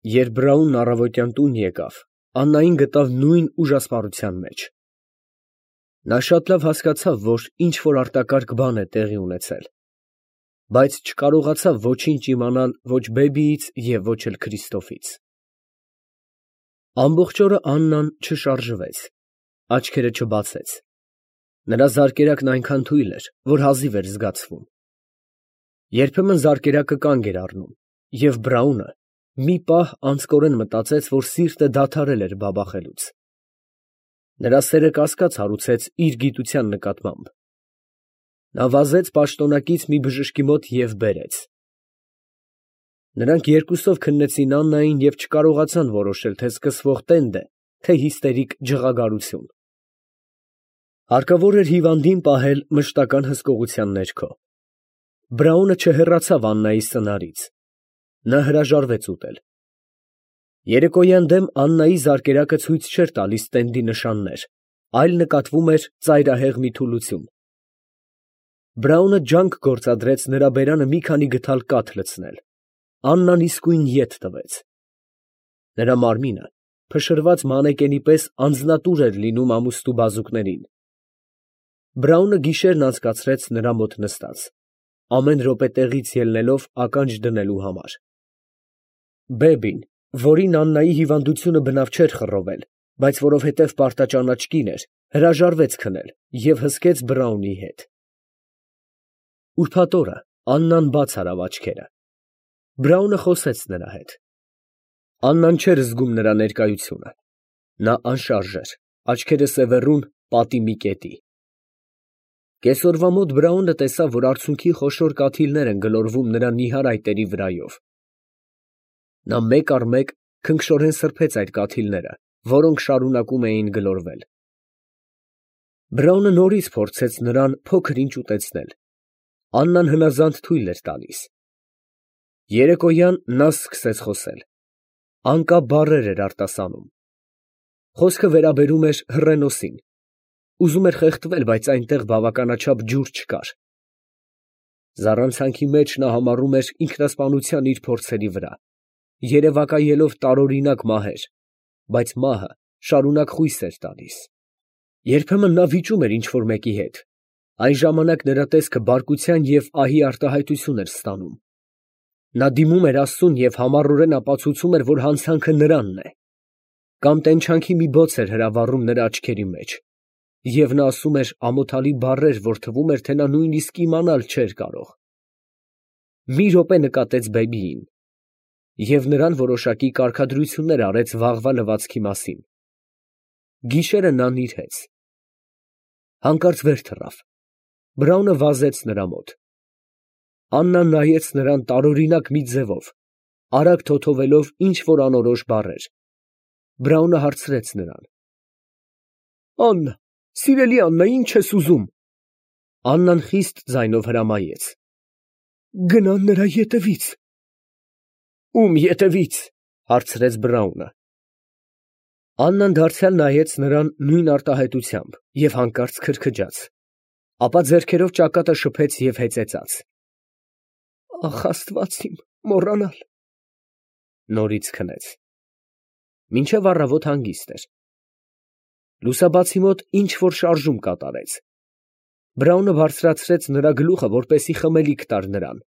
Երբ Բրաունն առավոտյան տուն եկավ, Աննային գտավ նույն ուժասպառության մեջ։ Նա շատ լավ հասկացավ, որ ինչ֊որ արտակարգ բան է տեղի ունեցել, բայց չկարողացավ ոչինչ իմանալ ոչ բեբիից և ոչ էլ Քրիստոֆից։ Ամբողջ օրը Աննան չշարժվեց, աչքերը չբացեց։ Նրա զարկերակն այնքան թույլ էր, որ հազիվ էր զգացվում։ Երբեմն զարկերակը կանգ էր առնում, և Բրաունը մի պահ անձկորեն մտածեց, որ սիրտը դադարել էր բաբախելուց։ Նրա սերը կասկած հարուցեց իր գիտության նկատմամբ։ Նա վազեց պաշտոնակից մի բժշկի մոտ և բերեց։ Նրանք երկուսով քննեցին Աննային և չկարողացան որոշել, թե սկսվող տենդ է, թե հիստերիկ ջղագարություն։ Հարկավոր էր հիվանդին պահել մշտական հսկողության ներքո։ Բրաունը չհեռացավ Աննայի սնարից։ Նա հրաժարվեց ուտել։ Երեկոյան դեմ Աննայի զարկերակը ցույց չէր տալիս տենդի նշաններ, այլ նկատվում էր ծայրահեղ մի թուլություն։ Բրաունը ջանք գործադրեց նրա բերանը մի քանի գդալ կաթ լցնել։ Աննան իսկույն ետ տվեց։ Նրա մարմինը փշրված մանեկենի պես անձնատուր էր լինում ամուստու բազուկներին։ Բրաունը գիշերն անցկացրեց նրա մոտ նստած, ամեն րոպե տեղից ելնելով ականջ դնելու համար։ Բեբին, որին Աննայի հիվանդությունը բնավ չէր խռովել, բայց որովհետև պարտաճանաչ կին էր, հրաժարվեց քնել և հսկեց Բրաունի հետ։ Ուրբաթ օրը Աննան բաց արավ աչքերը։ Բրաունը խոսեց նրա հետ։ Աննան չէր զգում նրա ներկայությունը։ Նա անշարժ էր, աչքերը սևեռուն պատի մի կետի։ Կեսօրվա մոտ Բրաունը տեսավ, որ արցունքի խոշոր կաթիլներ են գլորվում նրա նիհար այտերի վրայով։ Նա մեկ առ մեկ քնքշորեն սրբեց այդ կաթիլները, որոնք շարունակում էին գլորվել։ Բրաունը նորից փորձեց նրան փոքր-ինչ ուտեցնել։ Աննան հնազանդ թույլ էր տալիս։ Երեկոյան նա սկսեց խոսել։ Անկապ բառեր էր արտասանում։ Խոսքը վերաբերում էր Հռենոսին։ Ուզում էր խեղդվել, բայց այնտեղ բավականաչափ ջուր չկար։ Զառանցանքի մեջ նա համառում էր ինքնասպանության իր փորձերի վրա, երևակայելով տարօրինակ մահեր, բայց մահը շարունակ խույս էր տալիս։ Երբեմն նա վիճում էր ինչ֊որ մեկի հետ։ Այն ժամանակ նրա տեսքը բարկության և ահի արտահայտություն էր ստանում։ Նա դիմում էր Աստծուն և համառորեն ապացուցում էր, որ հանցանքը նրանն է։ Կամ տենչանքի մի բոց էր հրավառում նրա աչքերի մեջ, և նա ասում էր ամոթալի բառեր, որ թվում էր, թե նա նույնիսկ իմանալ չէր կարող։ Մի րոպե նկատեց բեբիին և նրան որոշակի կարգադրություններ արեց վաղվա լվացքի մասին։ Գիշերը նա նիրհեց։ Հանկարծ վեր թռավ։ Բրաունը վազեց նրա մոտ։ Աննան նայեց նրան տարօրինակ մի ձևով, արագ թոթովելով ինչ֊որ անորոշ բառեր։ Բրաունը հարցրեց նրան. «Աննա, սիրելի Աննա, ի՞նչ ես ուզում»։ Աննան խիստ ձայնով հրամայեց. «Գնա նրա ետևից»։ «Ո՞ւմ ետևից» հարցրեց Բրաունը։ Աննան դարձյալ նայեց նրան նույն արտահայտությամբ և հանկարծ քրքջաց, ապա ձեռքերով ճակատը շփեց և հեծեծաց. «Ախ, Աստված իմ, մոռանալ»։ Նորից քնեց։ Մինչև առավոտ հանգիստ էր։ Լուսաբացի մոտ ինչ֊որ շարժում կատարեց։ Բրաունը բարձրացրեց նրա գլուխը, որպեսզի խմելիք տար նրան։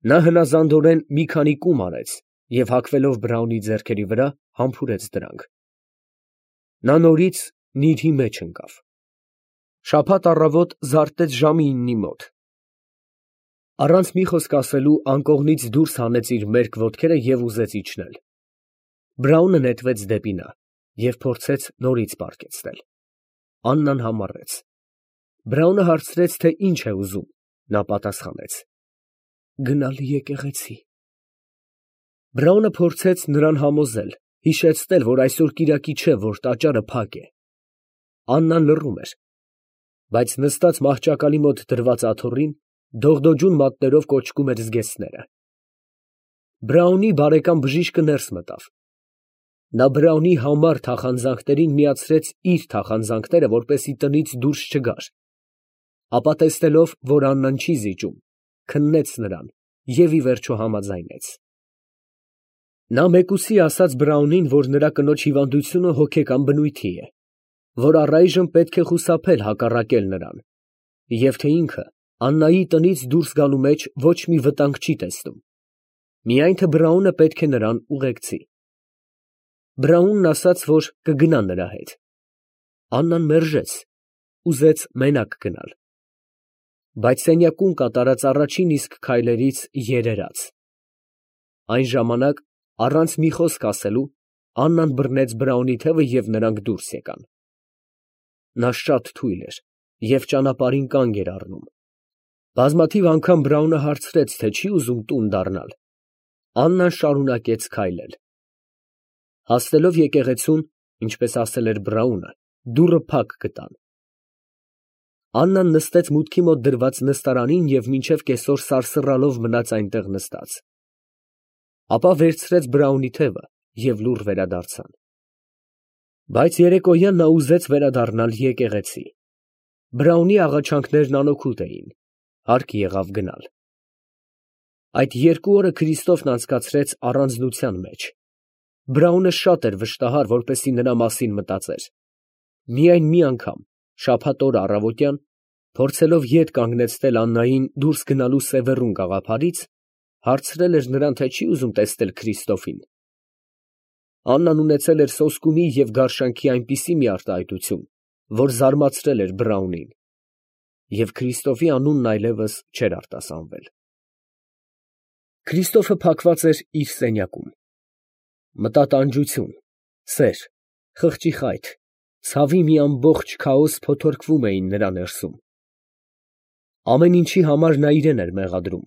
Նա հնազանդորեն մի քանի կում արեց և հագվելով Բրաունի ձեռքերի վրա, համբուրեց դրանք։ Նա նորից նիրհի մեջ ընկավ։ Շաբաթ առավոտ զարթեց ժամը 9-ի մոտ։ Առանց մի խոսք ասելու անկողնից դուրս հանեց իր մերկ ոտքերը և ուզեց իջնել։ Բրաունը նետվեց դեպի նա և փորձեց նորից պառկեցնել։ Աննան համառեց։ Բրաունը հարցրեց, թե ինչ է ուզում։ Նա պատասխանեց. «Գնալ եկեղեցի»։ Բրաունը փորձեց նրան համոզել, հիշեցնել, որ այսօր կիրակի չէ, որ տաճարը փակ է։ Աննան լռում էր, բայց նստած մահճակալի մոտ դրված աթոռին դողդոջուն մատներով կոճկում էր զգեստները։ Բրաունի բարեկամ բժիշկը ներս մտավ։ Նա Բրաունի համառ թախանձանքներին միացրեց իր թախանձանքները, որպեսզի տնից դուրս չգար, ապա տեսնելով, որ Աննան չի զիջում, քննեց նրան և ի վերջո համաձայնեց։ Նա մեկուսի ասաց Բրաունին, որ նրա կնոջ հիվանդությունը հոգեկան բնույթի է, որ առայժմ պետք է խուսափել հակառակել նրան, և թե ինքը Աննայի տնից դուրս գալու մեջ ոչ մի վտանգ չի տեսնում, միայն թե Բրաունը պետք է նրան ուղեկցի։ Բրաունն ասաց, որ կգնա նրա հետ։ Աննան մերժեց, ուզեց մենակ գնալ, բայց սենյակում կատարած առաջին իսկ քայլերից երերաց։ Այն ժամանակ, առանց մի խոսք ասելու, Աննան բռնեց Բրաունի թևը և նրանք դուրս եկան։ Նա շատ թույլ էր և ճանապարհին կանգ էր առնում։ Բազմաթիվ անգամ Բրաունը հարցրեց, թե չի ուզում տուն դառնալ։ Աննան շարունակեց քայլել։ Հասնելով եկեղեցուն, ինչպես ասել էր Բրաունը, դուռը փակ գտան։ Աննան նստեց մուտքի մոտ դրված նստարանին և մինչև կեսօր սարսռալով մնաց այնտեղ նստած։ Ապա վերցրեց Բրաունի թևը և լուռ վերադարձան։ Բայց երեկոյան նա ուզեց վերադառնալ եկեղեցի։ Բրաունի աղաչանքներն անօգուտ էին, հարկ եղավ գնալ։ Այդ 2 օրը Քրիստոֆն անցկացրեց առանձնության մեջ։ Բրաունը շատ էր վշտահար, որպեսզի նրա մասին մտածեր։ Միայն մի անգամ, շաբաթ օրը առավոտյան, փորձելով ետ կանգնեցնել Աննային դուրս գնալու սևեռուն գաղափարից, հարցրել էր նրան, թե չի ուզում տեսնել Քրիստոֆին։ Աննան ունեցել էր սոսկումի և գարշանքի այնպիսի մի արտահայտություն, որ զարմացրել էր Բրաունին, և Քրիստոֆի անունն այլևս չէր արտասանվել։ Քրիստոֆը փակված էր իր սենյակում։ Մտատանջություն, սեր, խղճի խայթ, ցավի մի ամբողջ քաոս փոթորկվում էին նրա ներսում։ Ամեն ինչի համար նա իրան էր մեղադրում։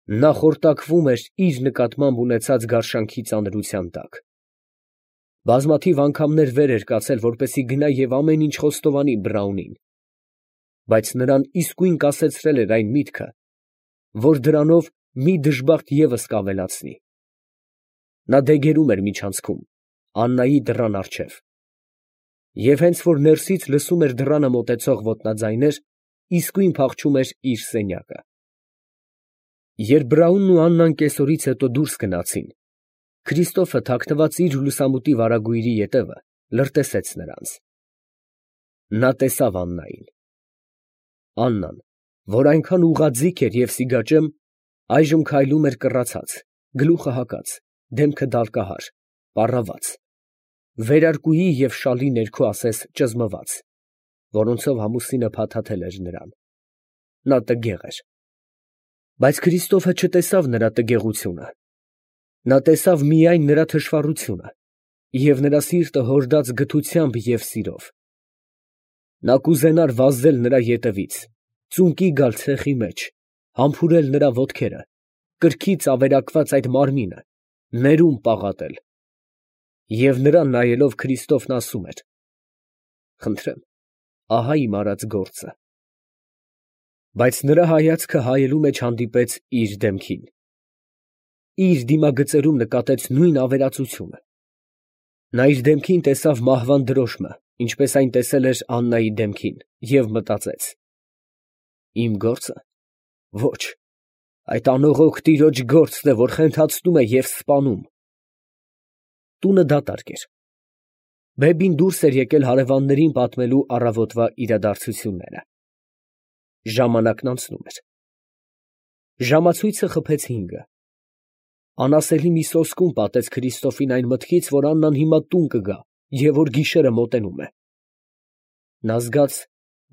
Նա խորտակվում էր իր նկատմամբ ունեցած գարշանքի ծանրության տակ։ Բազմաթիվ անգամներ վեր էր կացել, որպեսզի գնա և ամեն ինչ խոստովանի Բրաունին, բայց նրան իսկույն կասեցրել էր այն միտքը, որ դրանով մի դժբախտ ևս կավելացնի։ Նա դեգերում էր միջանցքում, Աննայի դռան առջև, և հենց որ ներսից լսում էր դռանը մոտեցող ոտնաձայներ, իսկույն փախչում էր իր սենյակը։ Երբ Բրաունն ու Աննան կեսօրից հետո դուրս գնացին, Քրիստոֆը, թաքնված իր լուսամուտի վարագույրի ետևը, լրտեսեց նրանց։ Նա տեսավ Աննային։ Աննան, որ այնքան ուղղաձիգ էր և սիգաճեմ, այժմ քայլում էր կռացած, գլուխը հակած, դեմքը դալկահար, պառաված, վերարկուի և շալի ներքո ասես ճզմված, որոնցով ամուսինը փաթաթել էր նրան։ Նա տգեղ էր։ Բայց Քրիստոֆը չտեսավ նրա տգեղությունը։ Նա տեսավ միայն նրա թշվառությունը և նրա սիրտը հորդած գթությամբ և սիրով։ Նա կուզենար վազել նրա ետևից, ծունկի գալ ցեխի մեջ, համբուրել նրա ոտքերը, կրքից ավերակված այդ մարմինը, ներում պաղատել։ Եվ նրան նայելով Քրիստոֆն ասում էր. «Խնդրեմ, ահա իմ արած գործը»։ Բայց նրա հայացքը հայելու մեջ հանդիպեց իր դեմքին։ Իր դիմագծերում նկատեց նույն ավերածությունը։ Նա իր դեմքին տեսավ մահվան դրոշմը, ինչպես այն տեսել էր Աննայի դեմքին, և մտածեց. «Իմ գործը։ Ոչ, այդ անողոք տիրոջ գործն է, որ խենթացնում է և սպանում»։ Տունը դատարկ էր։ Բեբին դուրս էր եկել հարևաններին պատմելու առավոտվա իրադարձությունները։ Ժամանակն անցնում էր։ Ժամացույցը խփեց 5-ը։ Անասելի մի սոսկում պատեց Քրիստոֆին այն մտքից, որ Աննան հիմա տուն կգա և որ գիշերը մոտենում է։ Նա զգաց,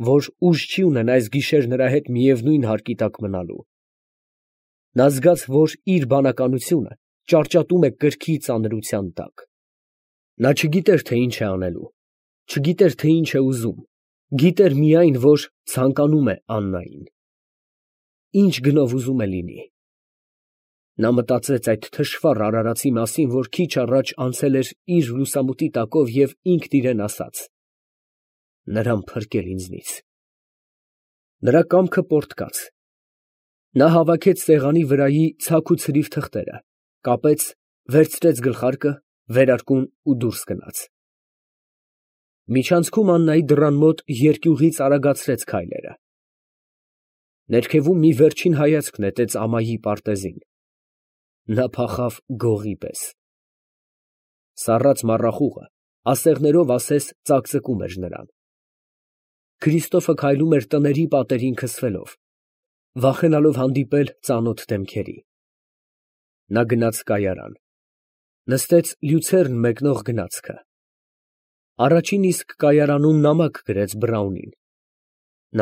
որ ուժ չի ունենա այս գիշեր նրա հետ միևնույն հարկի տակ մնալու։ Նա զգաց, որ իր բանականությունը ճարճատում է կրքի ծանրության տակ։ Նա չգիտեր, թե ինչ է անելու, չգիտեր, թե ինչ է ուզում, գիտեր միայն, որ ցանկանում է Աննային։ Ինչ գնով ուզում է լինի։ Նա մտածեց այդ թշվառ արարածի մասին, որ քիչ առաջ անցել էր իր լուսամուտի տակով և ինքն իրան ասաց. «Նրան փրկել ինձնից»։ Նրա կամքը պոռթկաց։ Նա հավաքեց սեղանի վրայի ցակ ու ցրիվ թղթերը, կապեց, վերցրեց գլխարկը, վերարկուն ու դուրս գնաց։ Միջանցքում Աննայի դռան մոտ երկյուղից արագացրեց քայլերը։ Ներքևում մի վերջին հայացք նետեց ամայի պարտեզին։ նա փախավ գողի պես։ Սառած մառախուղը ասեղներով ասես ծակծկում էր նրան։ Քրիստոֆը քայլում էր տների պատերին քսվելով, վախենալով հանդիպել ծանոթ դեմքերի։ Նա գնաց կայարան, նստեց լյուցեռն մեկնող գնացքը։ Առաջին իսկ կայարանում նամակ գրեց Բրաունին։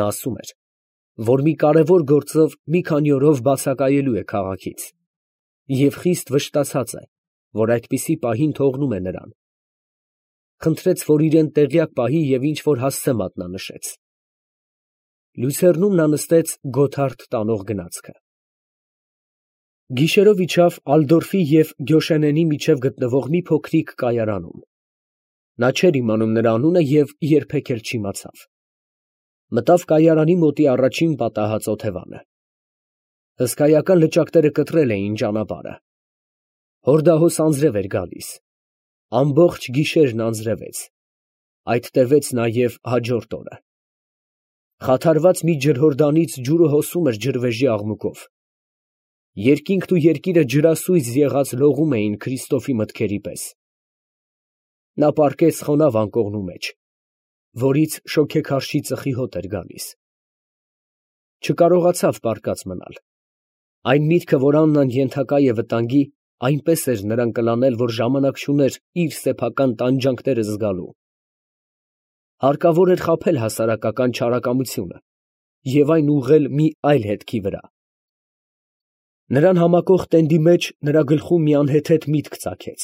Նա ասում էր, որ մի կարևոր գործով մի քանի օրով բացակայելու է քաղաքից, և խիստ վշտացած է, որ այդպիսի պահին թողնում է նրան։ Խնդրեց, որ իրեն տեղյակ պահի և ինչ-որ հասցե մատնանշեց։ Լյուցեռնում նա նստեց Գոթարդ տանող գնացքը։ Գիշերով իջավ Ալդորֆի և Գյոշենենի միջև գտնվող մի փոքրիկ կայարանում։ Նա չէր իմանում նրա անունը և երբեք էլ չիմացավ։ Մտավ կայարանի մոտի առաջին պատահած օթևանը։ Հսկայական լճակները կտրել էին ճանապարհը։ Հորդահոս անձրև էր գալիս։ Ամբողջ գիշերն անձրևեց, այդ տևեց նաև հաջորդ օրը։ Խաթարված մի ջրհորդանից ջուրը հոսում էր ջրվեժի աղմուկով։ Երկինքն ու երկիրը ջրասույզ եղած լողում էին Քրիստոֆի մտքերի պես։ Նա պառկեց խոնավ անկողնու մեջ, որից շոգեքարշի ծխի հոտ էր գալիս։ Չկարողացավ պառկած մնալ։ Այն միտքը, որ Աննան ենթակա է վտանգի, այնպես էր նրան կլանել, որ ժամանակ չուներ իր սեփական տանջանքները զգալու։ Հարկավոր էր խաբել հասարակական չարակամությունը և այն ուղղել մի այլ հետքի վրա։ Նրան համակող տենդի մեջ նրա գլխում մի անհեթեթ միտք ծագեց։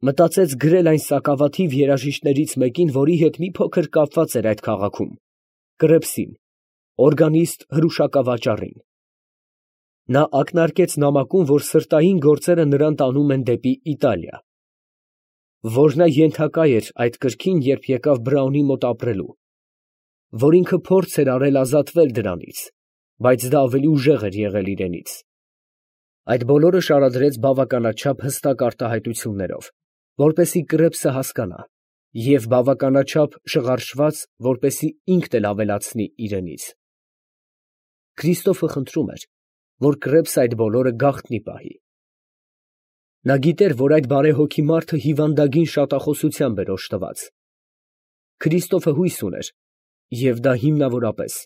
Մտածեց գրել այն սակավաթիվ երաժիշտներից մեկին, որի հետ մի փոքր կապված էր այդ քաղաքում, Կրեպսին, օրգանիստ հրուշակավաճառին։ Նա ակնարկեց նամակում, որ սրտային գործերը նրան տանում են դեպի Իտալիա, որ նա ենթակա էր այդ կրքին, երբ եկավ Բրաունի մոտ ապրելու, որ ինքը փորձ էր արել ազատվել դրանից, բայց դա ավելի ուժեղ էր եղել իրենից։ Այդ բոլորը շարադրեց բավականաչափ հստակ արտահայտություններով, որպեսզի Կրեպսը հասկանա, և բավականաչափ շղարշված, որպեսզի ինքն էլ ավելացնի իրենից։ Քրիստոֆը խնդրում էր, որ Կրեպսը այդ բոլորը գաղտնի պահի։ Նա գիտեր, որ այդ բարեհոգի մարդը հիվանդագին շատախոսությամբ էր օժտված։ Քրիստոֆը հույս ուներ, և դա հիմնավորապես,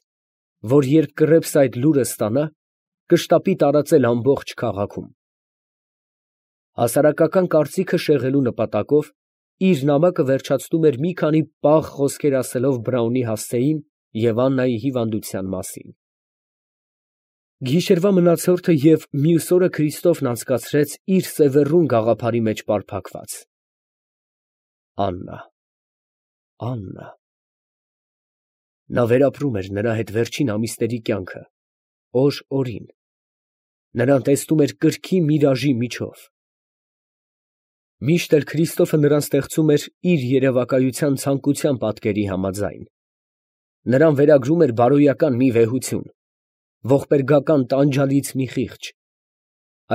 որ երբ Կրեպսը այդ լուրը ստանա, կշտապի տարածել ամբողջ քաղաքում։ Հասարակական կարծիքը շեղելու նպատակով իր նամակը վերջացնում էր մի քանի պաղ խոսքեր ասելով Բրաունի հասցեին և Աննայի հիվանդության մասին։ Գիշերվա մնացորդը և մյուս օրը Քրիստոֆն անցկացրեց իր սևեռուն գաղափարի մեջ պարփակված։ Աննա… Աննա… Նա վերապրում էր նրա հետ վերջին ամիսների կյանքը, օր օրին, նրան տեսնում էր կրքի միրաժի միջով։ Միշտ էլ Քրիստոֆը նրան ստեղծում էր իր երևակայության ցանկության պատկերի համաձայն։ Նրան վերագրում էր բարոյական մի վեհություն, ողբերգական տանջալից մի խիղճ։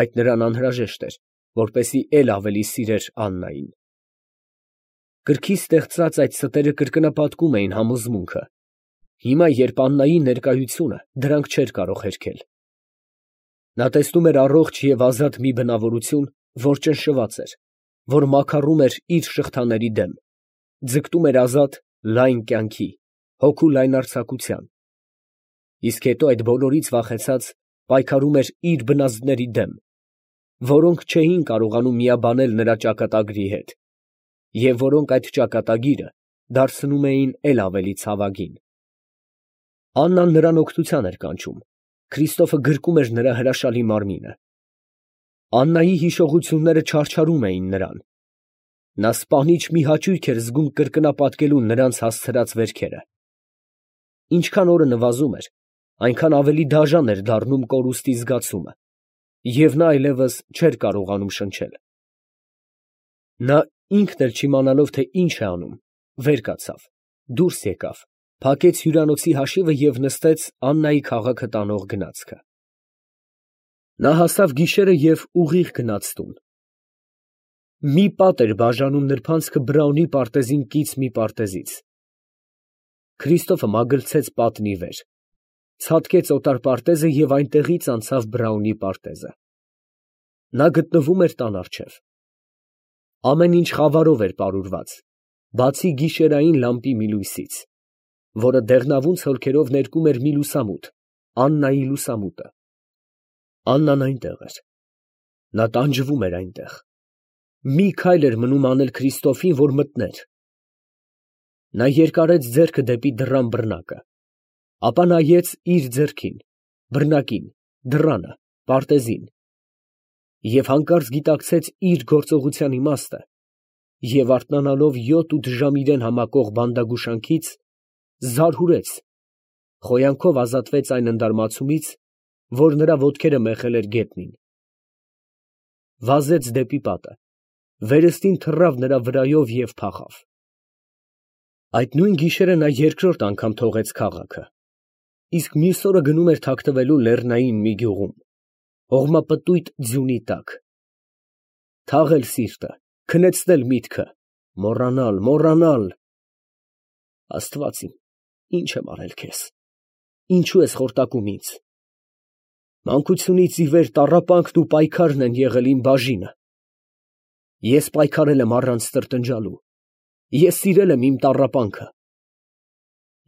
Այդ նրան անհրաժեշտ էր, որպեսզի էլ ավելի սիրեր Աննային։ Կրքից ստեղծած այդ ստերը կրկնապատկում էին համոզմունքը։ Հիմա, երբ Աննայի ներկայությունը դրանք չէր կարող հերքել։ Նա տեսնում էր առողջ և ազատ մի բնավորություն, որ ճնշված էր, որ մաքարում էր իր շղթաների դեմ, ձգտում էր ազատ, լայն կյանքի, հոգու լայնարձակության, իսկ հետո այդ բոլորից վախեցած պայքարում էր իր բնազդների դեմ, որոնք չէին կարողանում միաբանել նրա ճակատագրի հետ, և որոնք այդ ճակատագիրը դարձնում էին էլ ավելի ցավագին։ Աննան նրան օգնության էր կանչում, Քրիստոֆը գրկում էր նրա հրաշալի մարմինը։ Աննայի հիշողությունները չարչարում էին նրան։ Նա սպանիչ մի հաճույք էր զգում կրկնապատկելու նրանց հասցրած վերքերը։ Ինչքան օրը նվազում էր, այնքան ավելի դաժան էր դառնում կորուստի զգացումը, և նա այլևս չէր կարողանում շնչել։ Նա ինքն էլ չիմանալով, թե ինչ է անում, վեր կացավ, դուրս եկավ, փակեց հյուրանոցի հաշիվը և նստեց Աննայի քաղաքը տանող գնացքը։ Նա հասավ գիշերը և ուղիղ գնաց տուն։ Մի պատ էր բաժանում նրբանցքը Բրաունի պարտեզին կից մի պարտեզից։ Քրիստոֆը մագլցեց պատն ի վեր, ցատկեց օտար պարտեզը և այնտեղից անցավ Բրաունի պարտեզը։ Նա գտնվում էր տան առջև։ Ամեն ինչ խավարով էր պարուրված, բացի գիշերային լամպի մի լույսից, որը դեղնավուն ցոլքերով ներկում էր մի լուսամուտ, Աննայի լուսամուտը։ Աննան այնտեղ էր։ Նա տանջվում էր այնտեղ։ Մի քայլ էր մնում անել Քրիստոֆին, որ մտներ։ Նա երկարեց ձեռքը դեպի դռան բռնակը, ապա նայեց իր ձեռքին, բռնակին, դռանը, պարտեզին, և հանկարծ գիտակցեց իր գործողության իմաստը և արթնանալով 7-8 ժամ իրան համակող բանդագուշանքից, զարհուրեց, խոյանքով ազատվեց այն ընդարմացումից, որ նրա ոտքերը մեխել էր գետնին, վազեց դեպի պատը, վերստին թռավ նրա վրայով և փախավ։ Այդ նույն գիշերը նա երկրորդ անգամ թողեց քաղաքը, իսկ մյուս օրը գնում էր թաքնվելու լեռնային մի գյուղում, հողմապտույտ ձյունի տակ։ Թաղել սիրտը, քնեցնել միտքը, մոռանալ։ Աստված իմ, ի՞նչ եմ արել քեզ, ինչու ես խորտակում ինձ։ Մանկությունից ի վեր տառապանքն ու պայքարն են եղել իմ բաժինը։ Ես պայքարել եմ առանց տրտնջալու, ես սիրել եմ իմ տառապանքը։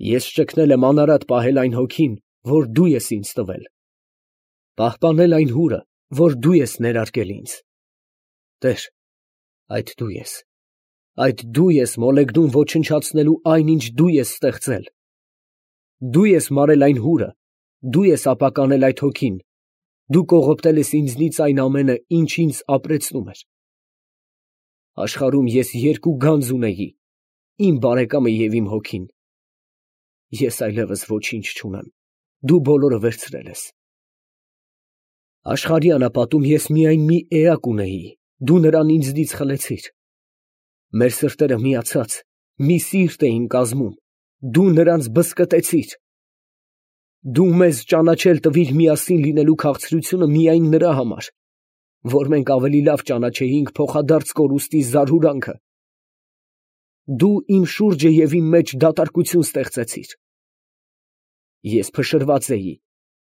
Ես ճգնել եմ անարատ պահել այն հոգին, որ դու ես ինձ տվել, պահպանել այն հուրը, որ դու ես ներարկել ինձ։ Տեր, այդ դու ես մոլեգնում ոչնչացնելու այն, ինչ դու ես ստեղծել։ Դու ես մարել այն հուրը, դու ես ապականել այդ հոգին, դու կողոպտել ես ինձնից այն ամենը, ինչ ինձ ապրեցնում էր։ Աշխարհում ես երկու գանձ ունեի, իմ բարեկամը և իմ հոգին։ Ես այլևս ոչինչ չունեմ, դու բոլորը վերցրել ես։ Աշխարհի անապատում ես միայն մի էակ ունեի, դու նրան ինձնից խլեցիր։ Մեր սրտերը միացած մի սիրտ էին կազմում, դու նրանց բզկտեցիր։ Դու մեզ ճանաչել տվիր միասին լինելու քաղցրությունը միայն նրա համար, որ մենք ավելի լավ ճանաչեինք փոխադարձ կորուստի զարհուրանքը։ Դու իմ շուրջը և իմ մեջ դատարկություն ստեղծեցիր։ Ես փշրված էի,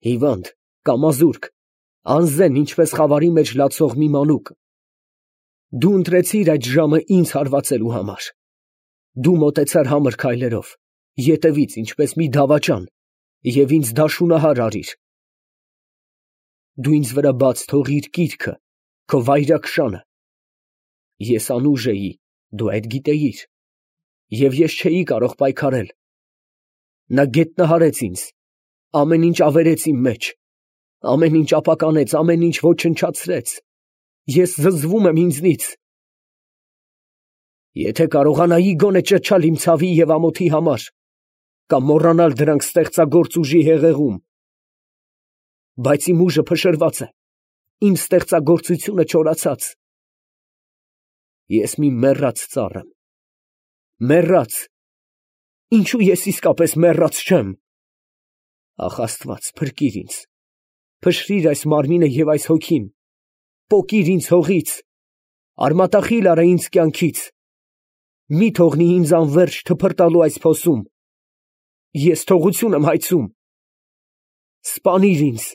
հիվանդ, կամազուրկ, անզեն, ինչպես խավարի մեջ լացող մի մանուկ։ Դու ընտրեցիր այդ ժամը ինձ հարվածելու համար։ Դու մոտեցար համր քայլերով, ետևից, ինչպես մի դավաճան, և ինձ դաշունահար արիր։ Դու ինձ վրա բաց թողիր կիրքը, քո վայրաքշանը։ Ես անուժ էի, դու այդ գիտեիր, և ես չէի կարող պայքարել։ Նա գետնահարեց ինձ, ամեն ինչ ավերեց իմ մեջ, ամեն ինչ ապականեց, ամեն ինչ ոչնչացրեց։ Ես զզվում եմ ինձնից։ Եթե կարողանայի գոնե ճչալ իմ ցավի և ամոթի համար, կամ մոռանալ դրանք ստեղծագործ ուժի հեղեղում, բայց իմ ուժը փշրված է, իմ ստեղծագործությունը չորացած։ Ես մի մեռած ծառ եմ, մեռած, ինչու ես իսկապես մեռած չեմ։ Ախ, Աստված, փրկիր ինձ, փշրիր այս մարմինը և այս հոգին, պոկիր ինձ հողից, արմատախիլ արա ինձ կյանքից, մի թողնի ինձ անվերջ թփրտալու այս փոսում։ Ես թողություն եմ հայցում։ Սպանիր ինձ,